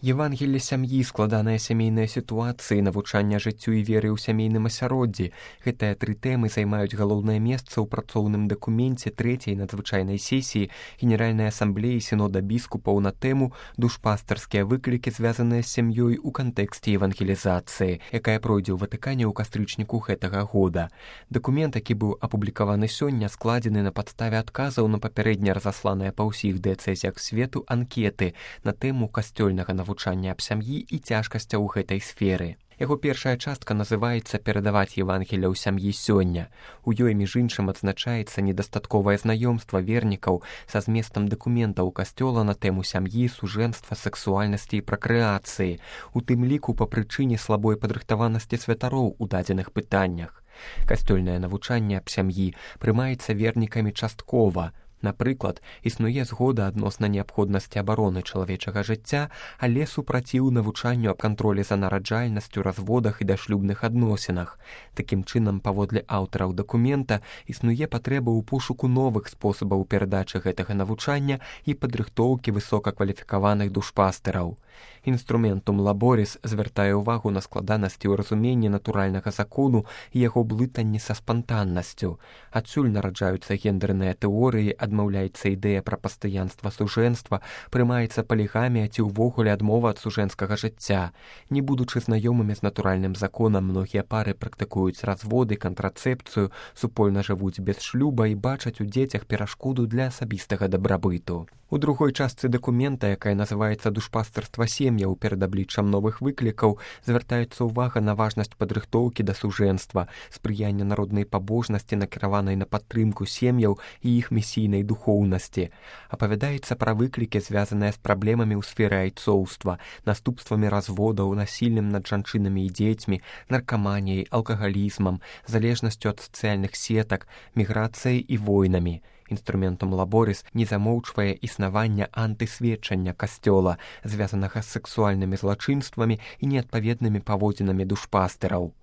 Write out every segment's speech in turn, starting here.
Евангелле сям'і, складаныя сямейныя сітуацыі, навучання жыццю і веры ў сямейным асяроддзі. Гэтыя тры тэмы займаюць галоўнае месца ў працоўным дакуменце трэцяй надзвычайнай сесіі Генеральнай асамблеі сінода біскупаў на тэму «Душпастарскія выклікі, звязаныя з сям'ёй у кантэксце евангелізацыі», якая пройдзе ў Ватыкане ў кастрычніку гэтага года. Дакумент, які быў апублікаваны сёння, складзены на падставе адказаў на папярэдне разасланыя па ўсіх дыяцэзіях свету анкеты на тэму касцёльнага навучання аб сям'і і цяжкасцяў у гэтай сферы. Яго першая частка называецца «Перадаваць Евангелле ў сям'і сёння». У ёй, між іншым, адзначаецца недастатковае знаёмства вернікаў са зместам дакументаў касцёла на тэму сям'і, сужэнства, сэксуальнасці і пракрэацыі, у тым ліку па прычыне слабой падрыхтаванасці святароў у дадзеных пытаннях. Касцёльнае навучанне аб сям'і прымаецца вернікамі часткова. Напрыклад, існуе згода адносна неабходнасці абароны чалавечага жыцця, але супраціў навучанню аб кантролі за нараджальнасцю, разводах і дашлюбных адносінах. Такім чынам, паводле аўтараў дакумента, існуе патрэба ў пошуку новых спосабаў перадачы гэтага навучання і падрыхтоўкі высокакваліфікаваных душпастэраў. Інструментум лаборіс звяртае ўвагу на складанасці ў разуменні натуральнага закону і яго блытанні са спантаннасцю. Адсюль нараджаюцца гендэрныя тэорыі, адмаўляецца ідэя пра пастаянства сужэнства, прымаецца палігамія ці ўвогуле адмова ад сужэнскага жыцця. Не будучы знаёмымі з натуральным законам, многія пары практыкуюць разводы, кантрацэпцыю, супольна жывуць без шлюба і бачаць у дзецях перашкоду для асабістага дабрабыту. У другой частцы дакумента, якая называецца «Душпастарства сем'яў перад абліччам новых выклікаў», звяртаецца ўвага на важнасць падрыхтоўкі да сужэнства, спрыяння народнай пабожнасці, накіраванай на падтрымку сем'яў і іх місійнай духоўнасці. Апавядаецца пра выклікі, звязаныя з праблемамі ў сферы айцоўства, наступствамі разводаў, насільным над жанчынамі і дзецьмі, наркаманіяй, алкагалізмам, залежнасцю ад сацыяльных сетак, міграцыяй і войнамі. Інструментум лаборіс не замоўчвае існавання антысведчання касцёла, звязанага з сексуальнымі злачынствамі і неадпаведнымі паводзінамі душпастэраў.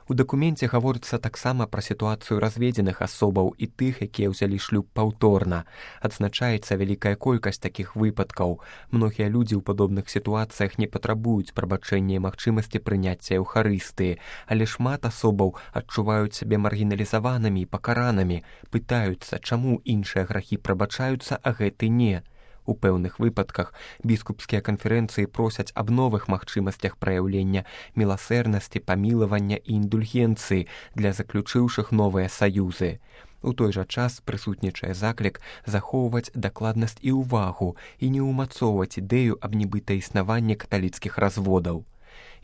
У дакуменце гаворыцца таксама пра сітуацыю разведзеных асобаў і тых, якія ўзялі шлюб паўторна. Адзначаецца вялікая колькасць такіх выпадкаў. Многія людзі ў падобных сітуацыях не патрабуюць прабачэння і магчымасці прыняцця эўхарыстыі, але шмат асобаў адчуваюць сябе маргіналізаванымі і пакаранымі, пытаюцца, чаму іншыя грахі прабачаюцца, а гэты не. У пэўных выпадках біскупскія канферэнцыі просяць аб новых магчымасцях праяўлення міласэрнасці, памілавання і індульгенцыі для заключыўшых новыя саюзы. У той жа час прысутнічае заклік захоўваць дакладнасць і ўвагу і не ўмацоўваць ідэю аб нібыта існаванні каталіцкіх разводаў.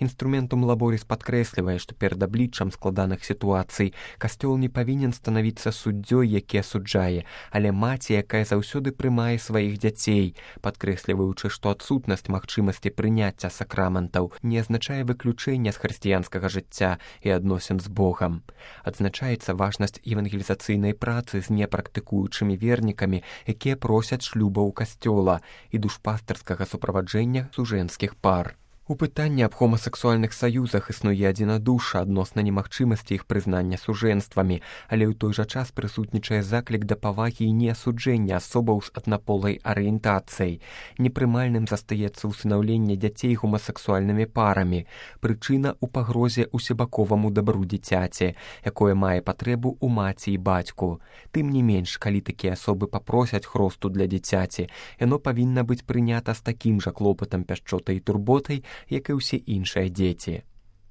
Інструментум лаборіс падкрэслівае, што перад абліччам складаных сітуацый касцёл не павінен станавіцца суддзёй, які асуджае, але маці, якая заўсёды прымае сваіх дзяцей, падкрэсліваючы, што адсутнасць магчымасці прыняцця сакраментаў не азначае выключэння з хрысціянскага жыцця і адносін з Богам. Адзначаецца важнасць евангелізацыйнай працы з непрактыкуючымі вернікамі, якія просяць шлюбаў касцёла і душпастарскага суправаджэння сужэнскіх пар. У пытанні аб хомасексуальных саюзах існуе адзінадушша адносна немагчымасці іх прызнання сужэнствамі, але ў той жа час прысутнічае заклік да павагі і неасуджэння асобаў з аднаполай арыентацыяй. Непрымальным застаецца ўсынаўленне дзяцей хомасексуальнымі парамі. Прычына ў пагрозе усебаковаму дабру дзіцяці, якое мае патрэбу ў маці і бацьку. Тым не менш, калі такія асобы папросяць хросту для дзіцяці, яно павінна быць прынята з такім жа клопатам, пяшчотай і турботай, як і ўсе іншыя дзеці.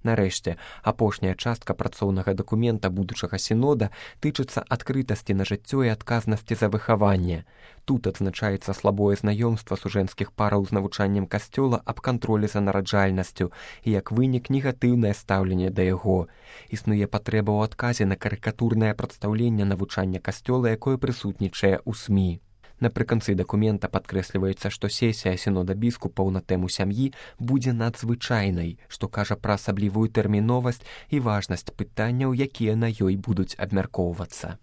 Нарэшце, апошняя частка працоўнага дакумента будучага сінода тычыцца адкрытасці на жыццё і адказнасці за выхаванне. Тут адзначаецца слабое знаёмства сужэнскіх параў з навучаннем касцёла аб кантролі за нараджальнасцю і, як вынік, негатыўнае стаўленне да яго. Існуе патрэба ў адказе на карыкатурнае прадстаўленне навучання касцёла, якое прысутнічае ў СМІ. Напрыканцы дакумента падкрэсліваецца, што сесія сінода біскупаў на тэму сям'і будзе надзвычайнай, што кажа пра асаблівую тэрміновасць і важнасць пытанняў, якія на ёй будуць абмяркоўвацца.